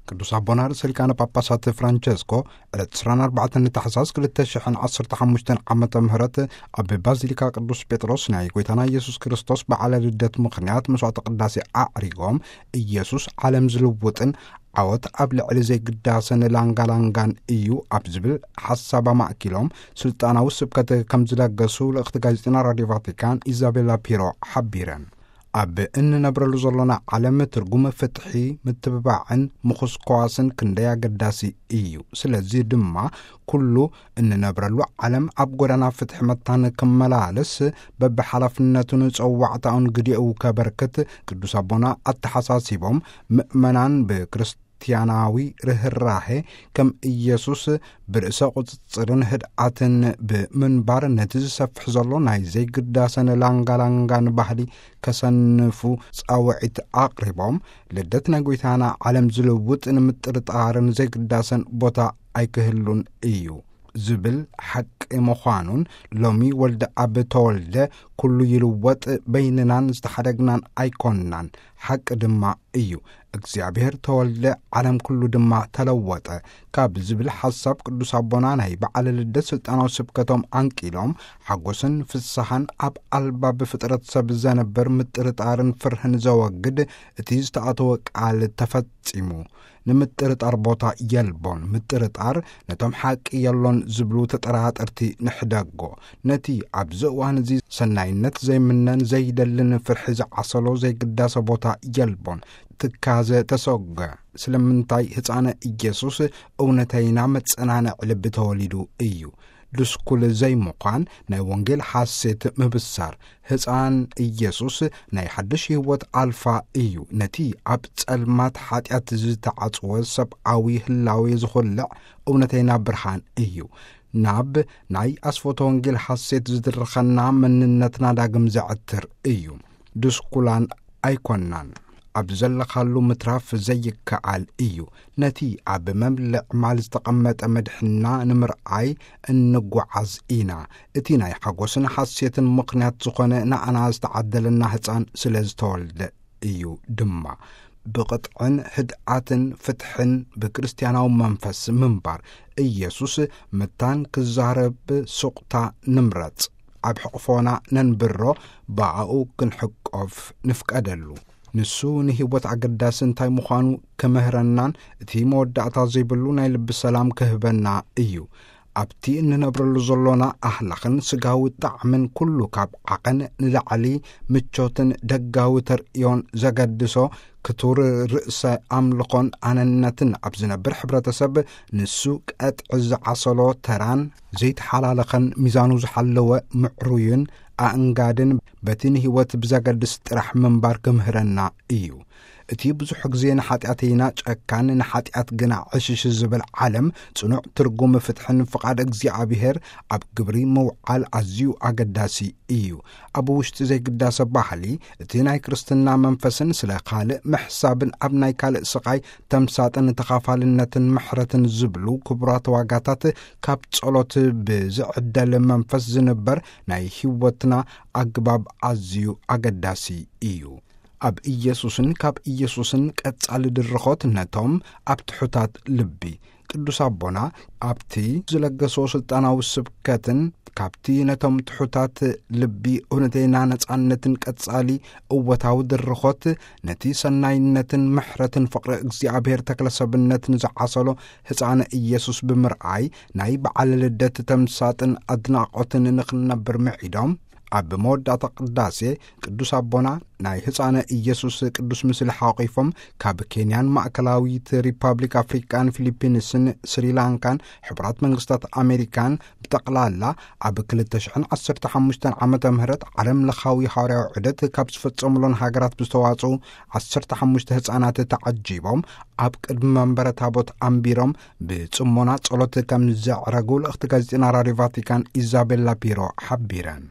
ቅዱስ ኣቦና ርእሰ ሊቃነ ጳጳሳት ፍራንቸስኮ ዕለት ዕስራን ኣርባዕተን ታሕሳስ ክልተ ሽሕን ዓሰርተ ሓሙሽተን ዓመተ ምህረት ኣብ ባዚሊካ ቅዱስ ጴጥሮስ ናይ ጐይታና ኢየሱስ ክርስቶስ በዓለ ልደት ምኽንያት መስዋዕተ ቅዳሴ ኣዕሪጎም፣ ኢየሱስ ዓለም ዝልውጥን ዓወት ኣብ ልዕሊ ዘይግዳሰን ላንጋላንጋን እዩ ኣብ ዝብል ሓሳብ ኣማእኪሎም ስልጣናዊ ስብከት ከም ዝለገሱ ልእኽቲ ጋዜጠና ራድዮ ቫቲካን ኢዛቤላ ፒሮ ሓቢረን። ኣብ እንነብረሉ ዘሎና ዓለም ትርጉም ፍትሒ፣ ምትብባዕን ምኹስኳስን ክንደይ ኣገዳሲ እዩ። ስለዚ ድማ ኩሉ እንነብረሉ ዓለም ኣብ ጎዳና ፍትሒ መታን ክመላለስ በብሓላፍነቱን ጸዋዕታኡን ግዴኡ ከበርክት ቅዱስ ኣቦና ኣተሓሳሲቦም፣ ምእመናን ብክርስቲያናዊ ርህራሄ ከም ኢየሱስ ብርእሰ ቁጽጽርን ህድኣትን ብምንባር ነቲ ዝሰፍሕ ዘሎ ናይ ዘይግዳሰን ላንጋላንጋን ባህሊ ከሰንፉ ጻውዒት ኣቕሪቦም፣ ልደት ናይ ጐይታና ዓለም ዝልውጥ ንምጥርጣርን ዘይግዳሰን ቦታ ኣይክህሉን እዩ ዝብል ሓቂ ምዃኑን፣ ሎሚ ወልደ ኣብ ተወልደ ኩሉ ይልወጥ፣ በይንናን ዝተሓደግናን ኣይኮንናን። ሓቂ ድማ እዩ። እግዚኣብሔር ተወልደ፣ ዓለም ኩሉ ድማ ተለወጠ ካብ ዝብል ሓሳብ ቅዱስ ኣቦና ናይ በዓለ ልደት ስልጣናዊ ስብከቶም ኣንቂሎም፣ ሓጎስን ፍስሓን ኣብ ኣልባብ ፍጥረት ሰብ ዘነብር ምጥርጣርን ፍርህን ዘወግድ እቲ ዝተኣተወ ቃል ተፈጺሙ። ንምጥርጣር ቦታ የልቦን። ምጥርጣር ነቶም ሓቂ የሎን ዝብሉ ተጠራጠርቲ ንሕደጎ። ነቲ ኣብዚ እዋን እዚ ሰናይነት ዘይምነን ዘይደልን ፍርሒ ዝዓሰሎ ዘይግዳሰ ቦታ የልቦን። ትካዘ ተሰጎ። ስለምንታይ ህፃነ ኢየሱስ እውነተይና መጸናንዒ ልቢ ተወሊዱ እዩ። ድስኩል ዘይምዃን ናይ ወንጌል ሓሴት ምብሳር። ህፃን ኢየሱስ ናይ ሓድሽ ህይወት ኣልፋ እዩ። ነቲ ኣብ ጸልማት ሓጢኣት ዝተዓጽወ ሰብኣዊ ህላዌ ዝኹልዕ እውነተይና ብርሃን እዩ። ናብ ናይ ኣስፎቶ ወንጌል ሓሴት ዝድርኸና መንነትና ዳግም ዘዕትር እዩ። ድስኩላን ኣይኮናን። ኣብ ዘለኻሉ ምትራፍ ዘይከኣል እዩ። ነቲ ኣብ መብልዕ ማል ዝተቐመጠ መድሕንና ንምርኣይ እንጓዓዝ ኢና። እቲ ናይ ሓጎስን ሓሴትን ምኽንያት ዝኾነ ንኣና ዝተዓደለና ህፃን ስለ ዝተወልደ እዩ ድማ። ብቕጥዕን ህድኣትን ፍትሕን ብክርስትያናዊ መንፈስ ምንባር። ኢየሱስ መታን ክዛረብ ሱቕታ ንምረጽ። ኣብ ሕቕፎና ነንብሮ፣ ብኣኡ ክንሕቆፍ ንፍቀደሉ። ንሱ ንህይወት ኣገዳሲ እንታይ ምዃኑ ክምህረናን እቲ መወዳእታ ዘይብሉ ናይ ልቢ ሰላም ክህበና እዩ። ኣብቲ እንነብረሉ ዘሎና ኣህላኽን ስጋዊ ጣዕምን ኩሉ ካብ ዓቐን ንላዕሊ ምቾትን ደጋዊ ተርእዮን ዘገድሶ ክቱር ርእሰ ኣምልኾን ኣነነትን ኣብ ዝነብር ሕብረተሰብ ንሱ ቀጥዒ ዝዓሰሎ ተራን ዘይተሓላለኸን ሚዛኑ ዝሓለወ ምዕሩይን ኣእንጋድን በቲ ንህይወት ብዘገድስ ጥራሕ ምንባር ክምህረና እዩ። እቲ ብዙሕ ግዜ ንሓጢኣተይና ጨካን ንሓጢኣት ግና ዕሽሽ ዝብል ዓለም ጽኑዕ ትርጉም ፍትሕን ፍቓድ እግዚኣብሔር ኣብ ግብሪ ምውዓል ኣዝዩ ኣገዳሲ እዩ። ኣብ ውሽጢ ዘይግዳሰ ባህሊ እቲ ናይ ክርስትና መንፈስን ስለ ካልእ ምሕሳብን ኣብ ናይ ካልእ ስቓይ ተምሳጥን ተኻፋልነትን ምሕረትን ዝብሉ ክቡራት ዋጋታት ካብ ጸሎት ብዝዕደል መንፈስ ዝንበር ናይ ህይወትና ኣግባብ ኣዝዩ ኣገዳሲ እዩ። ኣብ ኢየሱስን ካብ ኢየሱስን ቀጻሊ ድርኾት ነቶም ኣብ ትሑታት ልቢ። ቅዱስ ኣቦና ኣብቲ ዝለገሶ ስልጣናዊ ስብከትን ካብቲ ነቶም ትሑታት ልቢ እውነተይና ነጻነትን ቀጻሊ እወታዊ ድርኾት ነቲ ሰናይነትን ምሕረትን ፍቕሪ እግዚኣብሔር ተክለሰብነትን ዝዓሰሎ ህፃነ ኢየሱስ ብምርኣይ ናይ በዓል ልደት ተምሳጥን ኣድናቖትን ንኽንነብር ምዒዶም፣ ኣብ መወዳእታ ቅዳሴ ቅዱስ ኣቦና ናይ ህፃነ ኢየሱስ ቅዱስ ምስሊ ሓቂፎም ካብ ኬንያን ማእከላዊት ሪፓብሊክ ኣፍሪቃን ፊሊፒንስን ስሪላንካን ሕቡራት መንግስታት ኣሜሪካን ብጠቕላላ ኣብ ክልተ ሽሕን ዓሰርተ ሓሙሽተን ዓመተ ምህረት ዓለም ለኻዊ ሃዋርያዊ ዑደት ካብ ዝፈጸሙሎን ሃገራት ብዝተዋጽኡ ዓሰርተ ሓሙሽተ ህፃናት ተዓጂቦም ኣብ ቅድሚ መንበረ ታቦት ኣንቢሮም ብጽሞና ጸሎት ከም ዘዕረጉ ልእኽቲ ጋዜጠና ራድዮ ቫቲካን ኢዛቤላ ፒሮ ሓቢረን።